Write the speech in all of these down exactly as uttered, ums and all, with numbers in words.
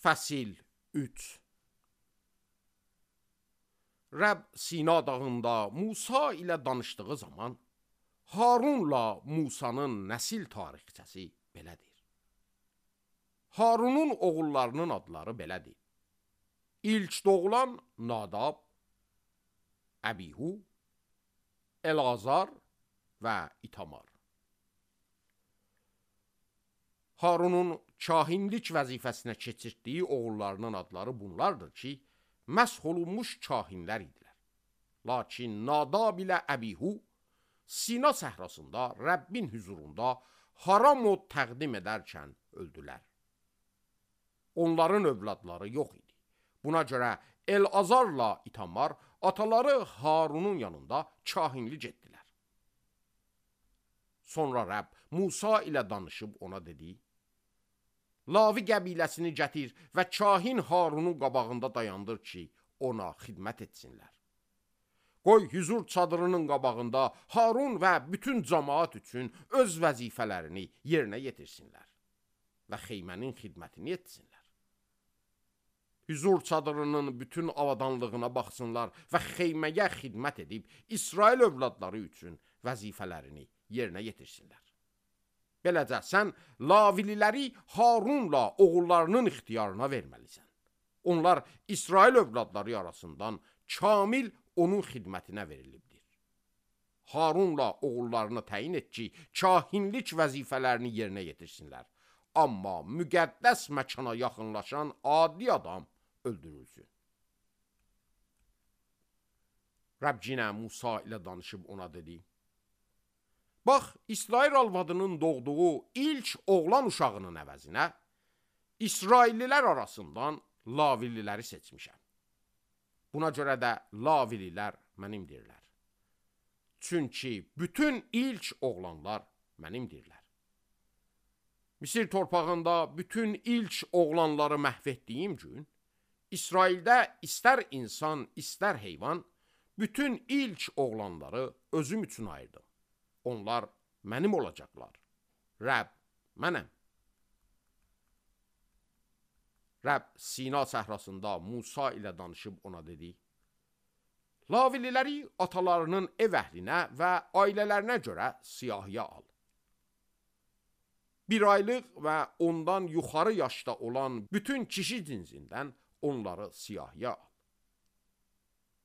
Fəsil üç. Rəbb Sina dağında Musa ilə danışdığı zaman Harunla Musanın nəsil tarixçəsi belədir. Harunun oğullarının adları belədir. İlk doğulan Nadab, Əbihu, Elazar və İtamar. Harunun kahinlik vəzifəsinə keçirtdiyi oğullarının adları bunlardır ki, məsh olunmuş kahinlər idilər. Lakin Nadab ilə Əbihu Sina səhrasında Rəbbin hüzurunda haram od təqdim edərkən öldülər. Onların övladları yox idi. Buna görə Elazarla İtamar ataları Harunun yanında kahinlik etdilər. Sonra Rəbb Musa ilə danışıb ona dedi: Lavi qəbiləsini gətir və kahin Harunun qabağında dayandır ki, ona xidmət etsinlər. Qoy hüzur çadırının qabağında Harun və bütün cəmaat üçün öz vəzifələrini yerinə yetirsinlər və xeymənin xidmətini etsinlər. Hüzur çadırının bütün avadanlığına baxsınlar və xeyməyə xidmət edib İsrail övladları üçün vəzifələrini yerinə yetirsinlər. Beləcə sən Lavililəri Harunla oğullarının ixtiyarına verməlisən. Onlar İsrail övladları arasından kamil onun xidmətinə verilibdir. Harunla oğullarını təyin et ki, kahinlik vəzifələrini yerinə yetirsinlər. Amma müqəddəs məkana yaxınlaşan adi adam öldürülsün. Rəbb yenə Musa ilə danışıb ona dedi: Bax, İsrail arvadının doğduğu ilk oğlan uşağının əvəzinə İsraillilər arasından Lavililəri seçmişəm. Buna görə də Lavililər mənimdirlər. Çünki bütün ilk oğlanlar mənimdirlər. Misir torpağında bütün ilk oğlanları məhv etdiyim gün, İsraildə istər insan, istər heyvan, bütün ilk oğlanları özüm üçün ayırdım. Onlar mənim olacaqlar. Rəbb mənəm. Rəbb Sina səhrasında Musa ilə danışıb ona dedi: Lavililəri atalarının ev əhlinə və ailələrinə görə siyahıya al. Bir aylıq və ondan yuxarı yaşda olan bütün kişi cinsindən onları siyahıya al.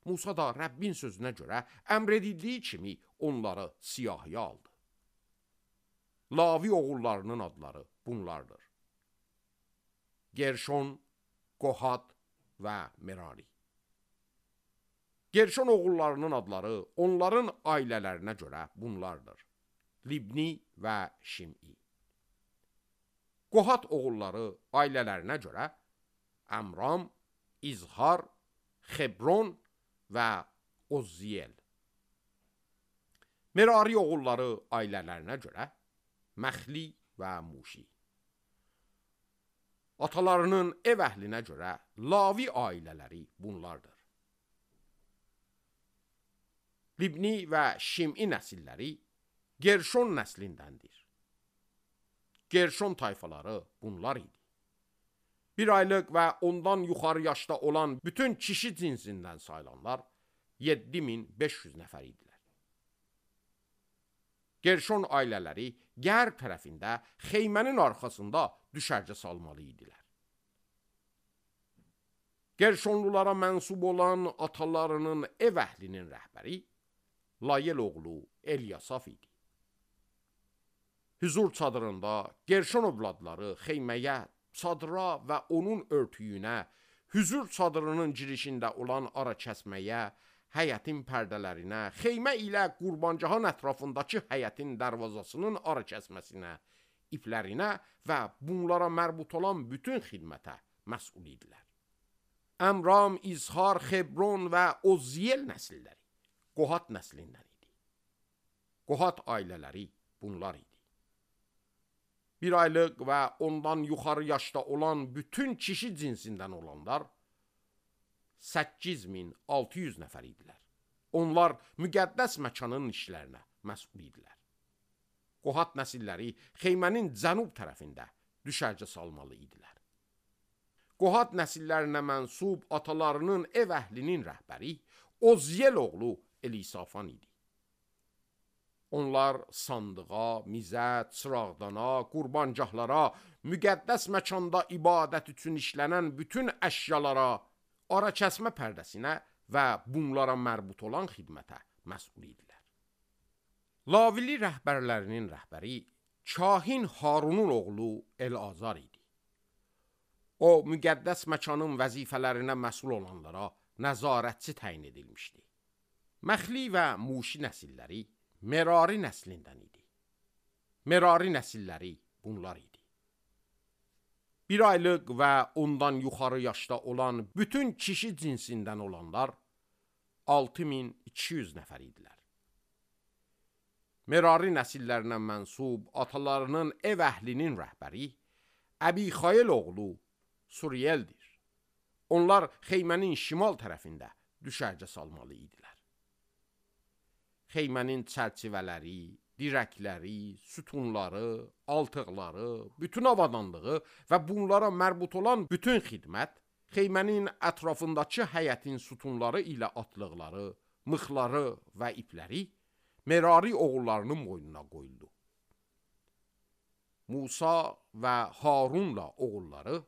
Musa da Rəbbin sözünə görə əmr edildiyi kimi onları siyahıya aldı. Lavi oğullarının adları bunlardır: Gerşon, Qohat və Merari. Gerşon oğullarının adları onların ailələrinə görə bunlardır: Libni və Şim'i. Qohat oğulları ailələrinə görə Əmram, İzhar, Xebron və Ozziyel. Merari oğulları ailələrinə görə Məxli və Muşi. Atalarının ev əhlinə görə Lavi ailələri bunlardır: Libni və Şim'i nəsilləri Gerşon nəslindəndir. Gerşon tayfaları bunlar idi. Bir aylıq və ondan yuxarı yaşda olan bütün kişi cinsindən sayılanlar yeddi min beş yüz nəfər idilər. Gerşon ailələri qərb tərəfində xeymənin arxasında düşərgə salmalı idilər. Gerşonlulara mənsub olan atalarının ev əhlinin rəhbəri Layel oğlu Elyasaf idi. Hüzur çadırında Gerşon övladları xeyməyə, çadıra və onun örtüyünə, hüzur çadırının girişində olan ara kəsməyə, həyətin pərdələrinə, xeymə ilə qurbancahın ətrafındakı həyətin dərvazasının ara kəsməsinə, iplərinə və bunlara mərbut olan bütün xidmətə məsul idilər. Əmram, İzhar, Xebron və Ozziyel nəsilləri Qohat nəslindən idi. Qohat ailələri bunlar idi. Bir aylıq və ondan yuxarı yaşda olan bütün kişi cinsindən olanlar səkkiz min altı yüz nəfər idilər. Onlar müqəddəs məkanın işlərinə məsul idilər. Qohat nəsilləri xeymənin cənub tərəfində düşərgə salmalı idilər. Qohat nəsillərinə mənsub atalarının ev əhlinin rəhbəri Ozyel oğlu Elisafan idi. Onlar sandığa, mizət, çırağdana, qurbancahlara, müqəddəs məkanda ibadət üçün işlənən bütün əşyalara, ara kəsmə pərdəsinə və bunlara mərbut olan xidmətə məsul idilər. Lavili rəhbərlərinin rəhbəri kahin Harunun oğlu El-Azar idi. O, müqəddəs məkanın vəzifələrinə məsul olanlara nəzarətçi təyin edilmişdi. Məxli və Muşi nəsilləri Merari nəslindən idi. Merari nəsilləri bunlar idi. Bir aylıq və ondan yuxarı yaşda olan bütün kişi cinsindən olanlar altı min iki yüz nəfər idilər. Merari nəsillərinə mənsub atalarının ev əhlinin rəhbəri Əbixayel oğlu Suriyeldir. Onlar xeymənin şimal tərəfində düşərgə salmalı idilər. Xeymənin çərçivələri, dirəkləri, sütunları, altıqları, bütün avadanlığı və bunlara mərbut olan bütün xidmət, xeymənin ətrafındakı həyətin sütunları ilə atlıqları, mıxları və ipləri Merari oğullarının boynuna qoyuldu. Musa və Harunla oğulları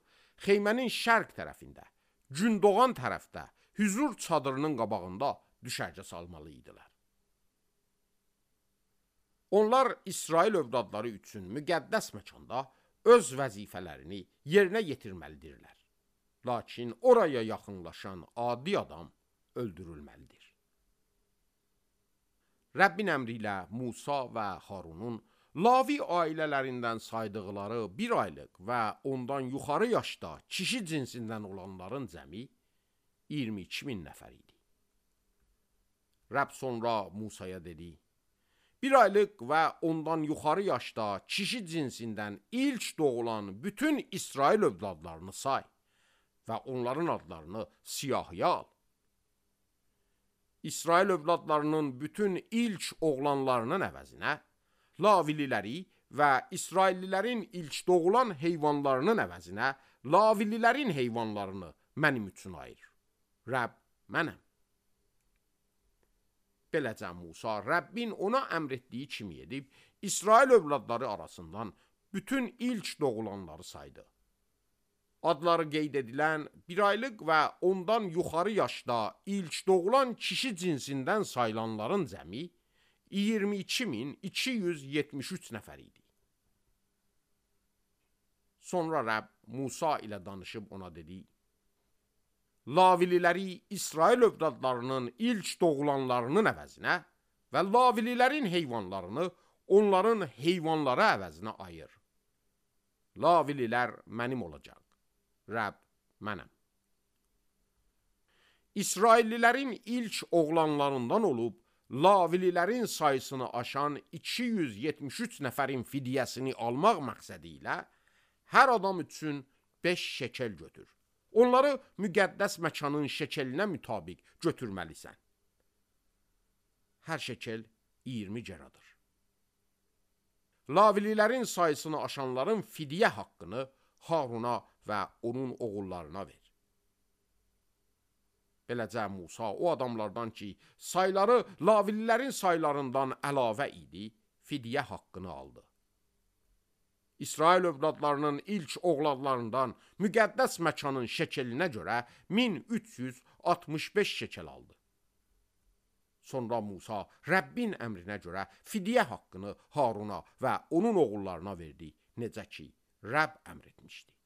xeymənin şərq tərəfində, gün doğan tərəfdə, hüzur çadırının qabağında düşərgə salmalı idilər. Onlar İsrail övladları üçün müqəddəs məkanda öz vəzifələrini yerinə yetirməlidirlər. Lakin oraya yaxınlaşan adi adam öldürülməlidir. Rəbbin əmri ilə Musa və Harunun Lavi ailələrindən saydıqları bir aylıq və ondan yuxarı yaşda kişi cinsindən olanların cəmi iyirmi iki min nəfər idi. Rəbb sonra Musaya dedi: Bir aylıq və ondan yuxarı yaşda kişi cinsindən ilk doğulan bütün İsrail övladlarını say və onların adlarını siyahıya al. İsrail övladlarının bütün ilk oğlanlarının əvəzinə Lavililəri və İsraillilərin ilk doğulan heyvanlarının əvəzinə Lavililərin heyvanlarını mənim üçün ayır. Rəbb mənəm. Beləcə Musa Rəbbin ona əmr etdiyi kimi edib, İsrail övladları arasından bütün ilk doğulanları saydı. Adları qeyd edilən bir aylıq və ondan yuxarı yaşda ilk doğulan kişi cinsindən sayılanların cəmi iyirmi iki min iki yüz yetmiş üç nəfər idi. Sonra Rəbb Musa ilə danışıb ona dedi: Lavililəri İsrail övladlarının ilk doğulanlarının əvəzinə və Lavililərin heyvanlarını onların heyvanları əvəzinə ayır. Lavililər mənim olacaq. Rəbb mənəm. İsraillilərin ilk oğlanlarından olub Lavililərin sayısını aşan iki yüz yetmiş üç nəfərin fidyəsini almaq məqsədi ilə hər adam üçün beş şekel götür. Onları müqəddəs məkanın şekelinə mütabiq götürməlisən. Hər şekel iyirmi geradır. Lavililərin sayısını aşanların fidyə haqqını Haruna və onun oğullarına ver. Beləcə Musa o adamlardan ki, sayları Lavililərin saylarından əlavə idi, fidyə haqqını aldı. İsrail övladlarının ilk oğlanlarından müqəddəs məkanın şekelinə görə min üç yüz altmış beş şekel aldı. Sonra Musa Rəbbin əmrinə görə fidyə haqqını Haruna və onun oğullarına verdi, necə ki Rəbb əmr etmişdi.